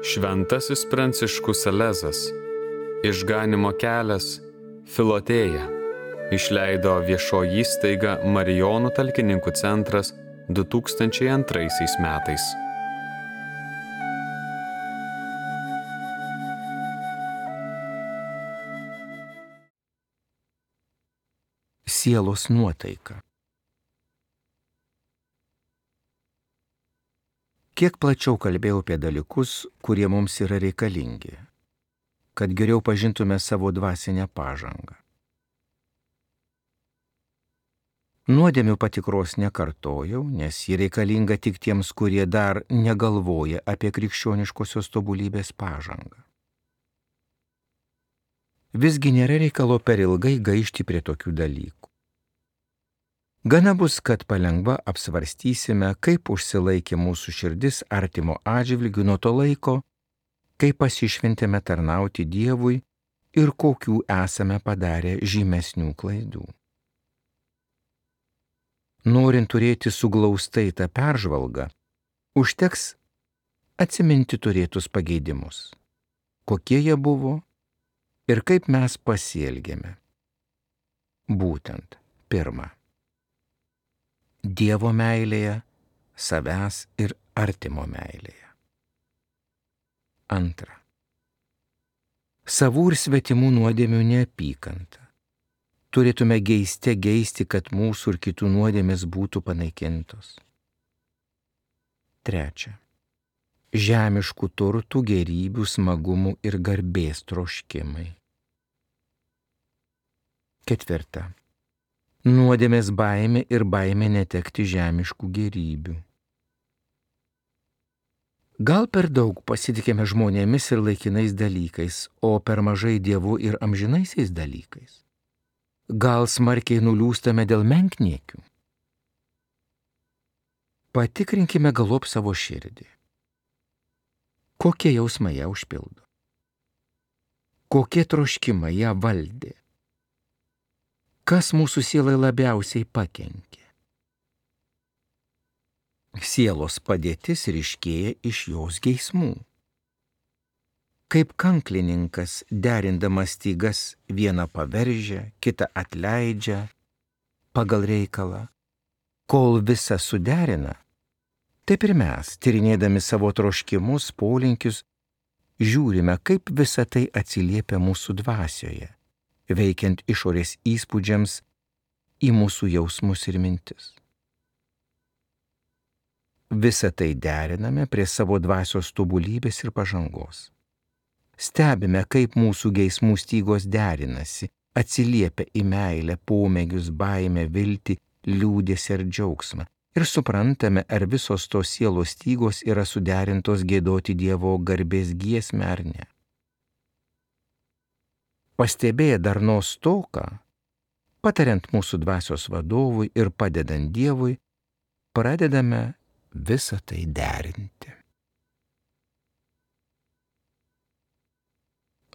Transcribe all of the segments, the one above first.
Šventasis Pranciškus Salezas, Išganymo kelias, Filotėja, išleido viešoji įstaiga Marijonų talkininkų centras 2002 metais. Sielos nuotaika. Kiek plačiau kalbėjau apie dalykus, kurie mums yra reikalingi, kad geriau pažintume savo dvasinę pažangą. Nuodėmių patikros nekartojau, nes ji reikalinga tik tiems, kurie dar negalvoja apie krikščioniškosios tobulybės pažangą. Visgi nėra reikalo per ilgai gaišti prie tokių dalykų. Gana bus, kad palengva apsvarstysime, kaip užsilaikė mūsų širdis artimo atžvilgiu nuo to laiko, kai pasišventėme tarnauti Dievui ir kokių esame padarę žymesnių klaidų. Norint turėti suglaustai tą peržvalgą, užteks atsiminti turėtus pageidimus, kokie jie buvo ir kaip mes pasielgėme. Būtent, pirma, Dievo meilėje, savęs ir artimo meilėje. Antra, savų ir svetimų nuodėmių neapykanta. Turėtume geisti, kad mūsų ir kitų nuodėmės būtų panaikintos. Trečia, žemiškų turtų, gėrybių, smagumų ir garbės troškimai. Ketvirta, nuodėmės baimė ir baimė netekti žemiškų gėrybių. Gal per daug pasitikime žmonėmis ir laikinais dalykais, o per mažai Dievu ir amžinaisiais dalykais? Gal smarkiai nuliūstame dėl menkniekių? Patikrinkime galop savo širdį. Kokie jausmai ją užpildo? Kokie troškimai ją valdė? Kas mūsų sielai labiausiai pakenkė? Sielos padėtis ryškėja iš jos geismų. Kaip kanklininkas, derindamas stygas, vieną paveržia, kitą atleidžia pagal reikalą. Kol visą suderina, taip ir mes, tyrinėdami savo troškimus, polinkius, žiūrime, kaip visa tai atsiliepia mūsų dvasioje, veikiant išorės įspūdžiams į mūsų jausmus ir mintis. Visą tai deriname prie savo dvasios tobulybės ir pažangos. Stebime, kaip mūsų geismų stygos derinasi, atsiliepia į meilę, pomėgius, baimę, viltį, liūdesį ir džiaugsmą. Ir suprantame, ar visos tos sielos stygos yra suderintos giedoti Dievo garbės giesmę ar ne. Pastebėję darnos stoką, patariant mūsų dvasios vadovui ir padedant Dievui, pradedame visą tai derinti.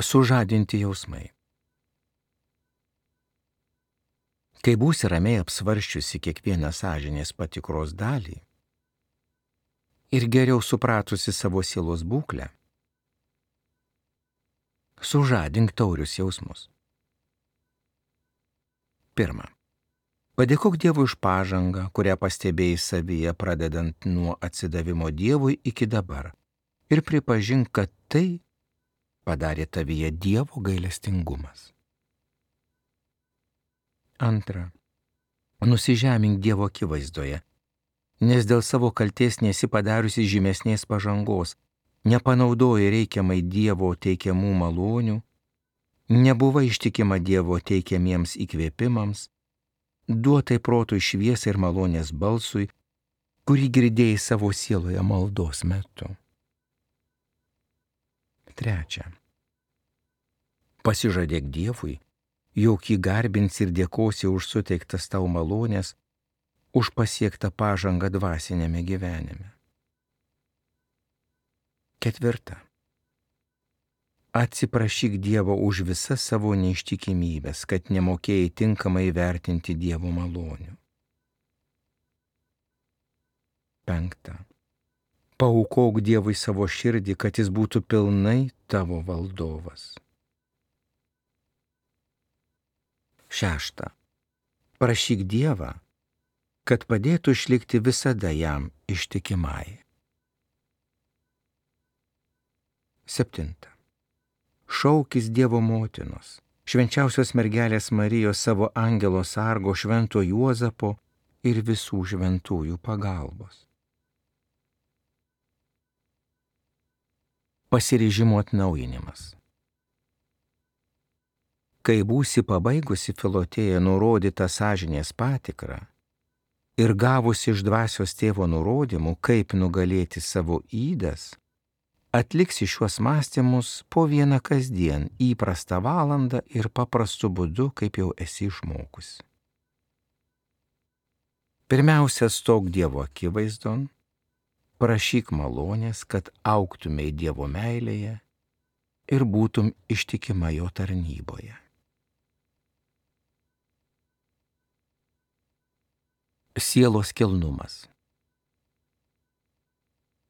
Sužadinti jausmai. Kai būsi ramiai apsvarsčiusi kiekvieną sąžinės patikros dalį ir geriau supratusi savo sielos būklę, sužadink taurius jausmus. Pirma, padėkok Dievui už pažangą, kurią pastebėjai savyje pradedant nuo atsidavimo Dievui iki dabar ir pripažink, kad tai padarė tavyje Dievo gailestingumas. Antra, nusižemink Dievo akivaizdoje, nes dėl savo kaltės nesi padariusi žymesnės pažangos, nepanaudoji reikiamai Dievo teikiamų malonių, nebuvai ištikima Dievo teikiamiems įkvėpimams, duotai protui šviesai ir malonės balsui, kurį girdėjai savo sieloje maldos metu. Trečia, pasižadėk Dievui, jog jį garbins ir dėkosi už suteiktas tau malonės, už pasiektą pažangą dvasinėme gyvenime. Ketvirta, atsiprašyk Dievo už visas savo neištikimybės, kad nemokėjai tinkamai vertinti Dievo malonių. Penkta, Paaukok Dievui savo širdį, kad jis būtų pilnai tavo valdovas. 6. Prašyk Dievą, kad padėtų išlikti visada jam ištikimai. 7. Šaukis Dievo motinos, švenčiausios mergelės Marijos, savo angelo sargo, švento Juozapo ir visų šventųjų pagalbos. Pasiryžimo atnaujinimas. Kai būsi pabaigusi Filotėją nurodytą sąžinės patikrą ir gavusi iš dvasios tėvo nurodymų, kaip nugalėti savo ydas, atliksi šiuos mąstymus po vieną kasdien, įprastą valandą ir paprastu būdu, kaip jau esi išmokusi. Pirmiausia, stok Dievo akivaizdon, prašyk malonės, kad augtumei Dievo meilėje ir būtum ištikima jo tarnyboje. Sielos kilnumas.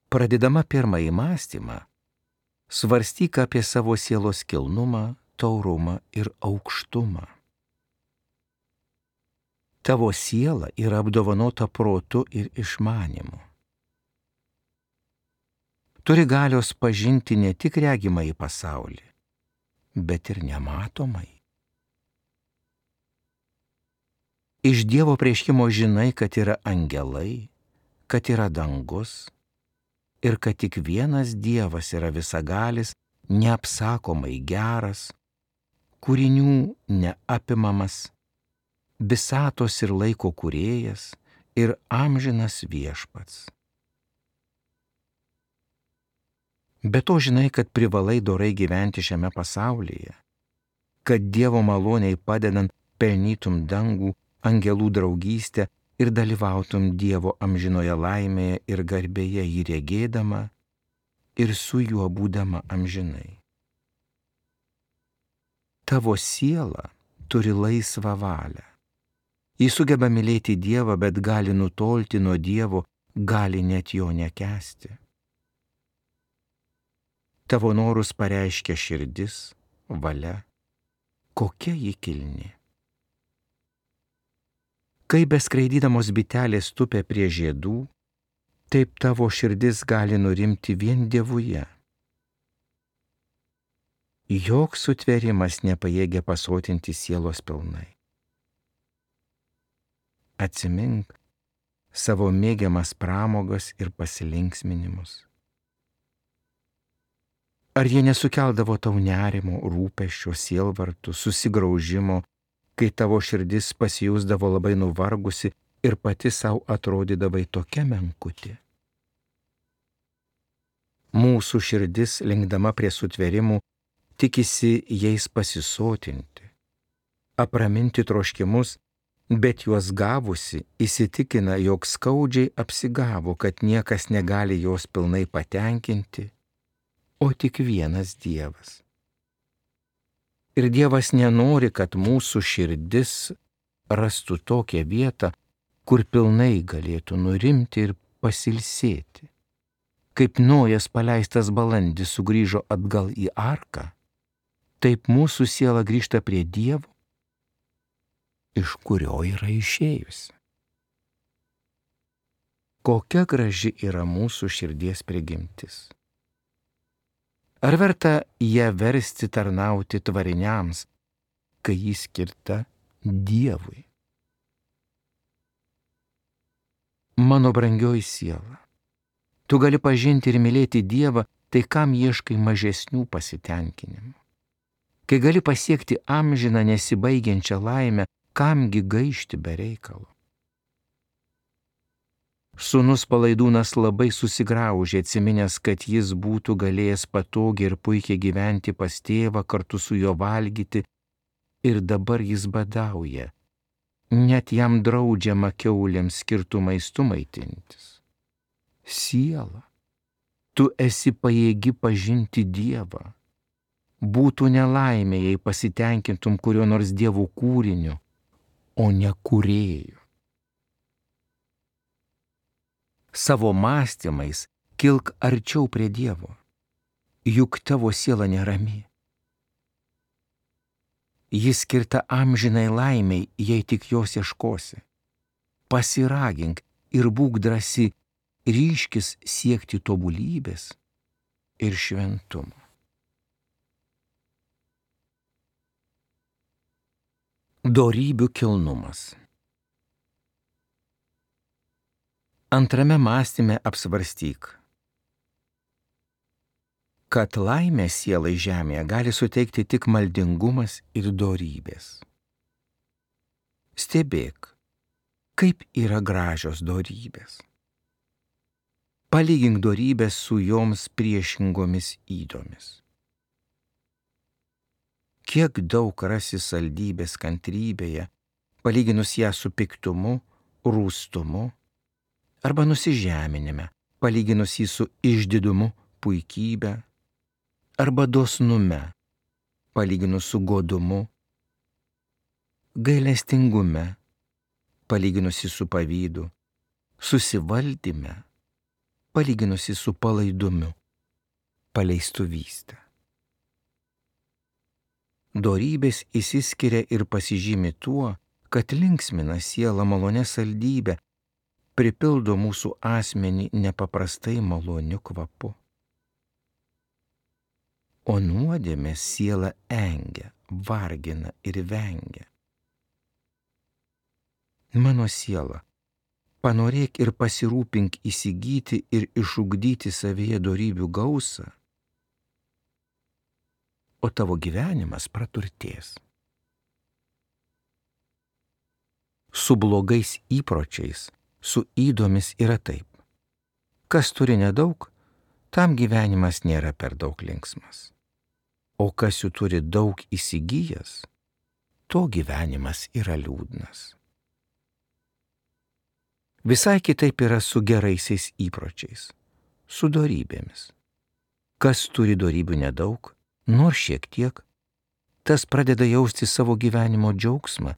Pradėdama pirmąjį mąstymą, svarstyk apie savo sielos kilnumą, taurumą ir aukštumą. Tavo siela yra apdovanota protu ir išmanimu. Turi galios pažinti ne tik regimąjį pasaulį, bet ir nematomai. Iš Dievo apreiškimo žinai, kad yra angelai, kad yra dangus ir kad tik vienas Dievas yra visagalis, neapsakomai geras, kūrinių neapimamas, visatos ir laiko kūrėjas ir amžinas viešpats. Be to žinai, kad privalai dorai gyventi šiame pasaulyje, kad Dievo maloniai padedant pelnytum dangų, angelų draugystę ir dalyvautum Dievo amžinoje laimėje ir garbėje jį regėdama ir su juo būdama amžinai. Tavo siela turi laisvą valią. Ji sugeba mylėti Dievą, bet gali nutolti nuo Dievo, gali net jo nekęsti. Tavo norus pareiškia širdis, valia, kokia ji kilni. Kai beskraidydamos bitelės tupia prie žiedų, taip tavo širdis gali nurimti vien Dievuje. Joks sutvėrimas nepajėgia pasotinti sielos pilnai. Atsimink savo mėgiamas pramogas ir pasilinksminimus. Ar jie nesukeldavo tau nerimo, rūpesčio, sielvartų, susigraužimo, kai tavo širdis pasijusdavo labai nuvargusi ir pati savo atrodydavai tokia menkutė? Mūsų širdis, linkdama prie sutvėrimų, tikisi jais pasisotinti, apraminti troškimus, bet juos gavusi įsitikina, jog skaudžiai apsigavo, kad niekas negali jos pilnai patenkinti, o tik vienas Dievas. Ir Dievas nenori, kad mūsų širdis rastų tokią vietą, kur pilnai galėtų nurimti ir pasilsėti. Kaip Nojas paleistas balandis sugrįžo atgal į arką, taip mūsų siela grįžta prie Dievo, iš kurio yra išėjusi. Kokia graži yra mūsų širdies prigimtis. Ar verta ją versti tarnauti tvariniams, kai ji skirta Dievui? Mano brangioji siela, tu gali pažinti ir mylėti Dievą, tai kam ieškai mažesnių pasitenkinimų? Kai gali pasiekti amžiną nesibaigiančią laimę, kamgi gaišti be reikalo? Sūnus Palaidūnas labai susigraužė, atsiminęs, kad jis būtų galėjęs patogiai ir puikiai gyventi pas tėvą, kartu su juo valgyti, ir dabar jis badauja. Net jam draudžiama kiaulėms skirtų maistu maitintis. Siela, tu esi pajėgi pažinti Dievą. Būtų nelaimė, jei pasitenkintum kurio nors Dievo kūriniu, o ne kūrėju. Savo mąstymais kilk arčiau prie Dievo, juk tavo siela nerami. Jis skirta amžinai laimiai, jei tik jos ieškosi. Pasiragink ir būk drąsi, ryškis siekti tobulybės ir šventumo. Dorybių kilnumas. Antrame mąstyme apsvarstyk, kad laimę sielai žemėje gali suteikti tik maldingumas ir dorybės. Stebėk, kaip yra gražios dorybės. Palygink dorybės su joms priešingomis ydomis. Kiek daug rasi saldybės kantrybėje, palyginus ją su piktumu, rūstumu, arba nusižeminime, palyginus jį su išdidumu, puikybė, arba dosnume, palyginus su godumu, gailestingume, palyginus jį su pavydu, susivaldyme, palyginus jį su palaidumu, paleistuvystę. Dorybės išsiskiria ir pasižymi tuo, kad linksmina sielą malonę saldybę, pripildo mūsų asmenį nepaprastai maloniu kvapu. O nuodėmės sielą engia, vargina ir vengia. Mano siela, panorėk ir pasirūpink įsigyti ir išugdyti savyje dorybių gausą, o tavo gyvenimas praturtės. Su blogais įpročiais, su ydomis yra taip. Kas turi nedaug, tam gyvenimas nėra per daug linksmas. O kas jų turi daug įsigijęs, to gyvenimas yra liūdnas. Visai kitaip yra su geraisiais įpročiais, su dorybėmis. Kas turi dorybių nedaug, nors šiek tiek, tas pradeda jausti savo gyvenimo džiaugsmą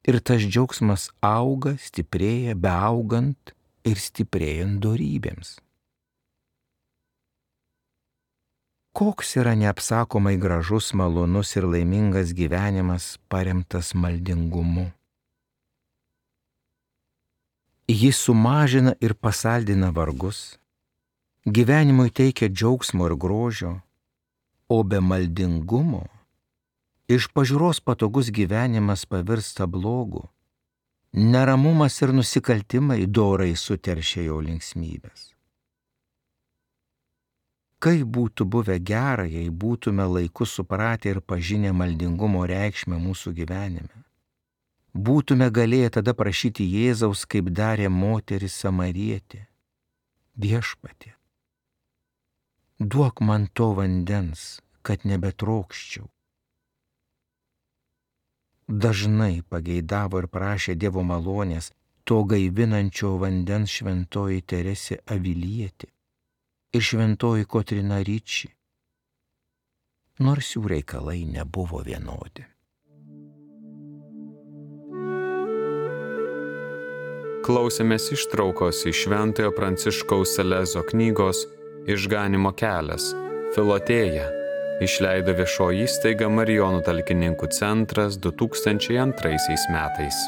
ir tas džiaugsmas auga, stiprėja, beaugant ir stiprėjant dorybėms. Koks yra neapsakomai gražus, malonus ir laimingas gyvenimas paremtas maldingumu. Jis sumažina ir pasaldina vargus, gyvenimui teikia džiaugsmo ir grožio, o be maldingumo iš pažiūros patogus gyvenimas pavirsta blogu, neramumas ir nusikaltimai dorai suteršia jo linksmybės. Kaip būtų buvę gera, jei būtume laiku supratę ir pažinę maldingumo reikšmę mūsų gyvenime. Būtume galėję tada prašyti Jėzaus, kaip darė moteris Samarietė. Viešpatie, duok man to vandens, kad nebetrokščiau. Dažnai pageidavo ir prašė Dievo malonės to gaivinančio vandens šventoji Teresė Avilietė ir šventoji Kotryna Ricci, nors jų reikalai nebuvo vienodi. Klausėmės ištraukos iš Šventojo Pranciškaus Salezo knygos Išganymo kelias, Filotėja, išleido viešoji įstaiga Marijonų talkininkų centras 2002 metais.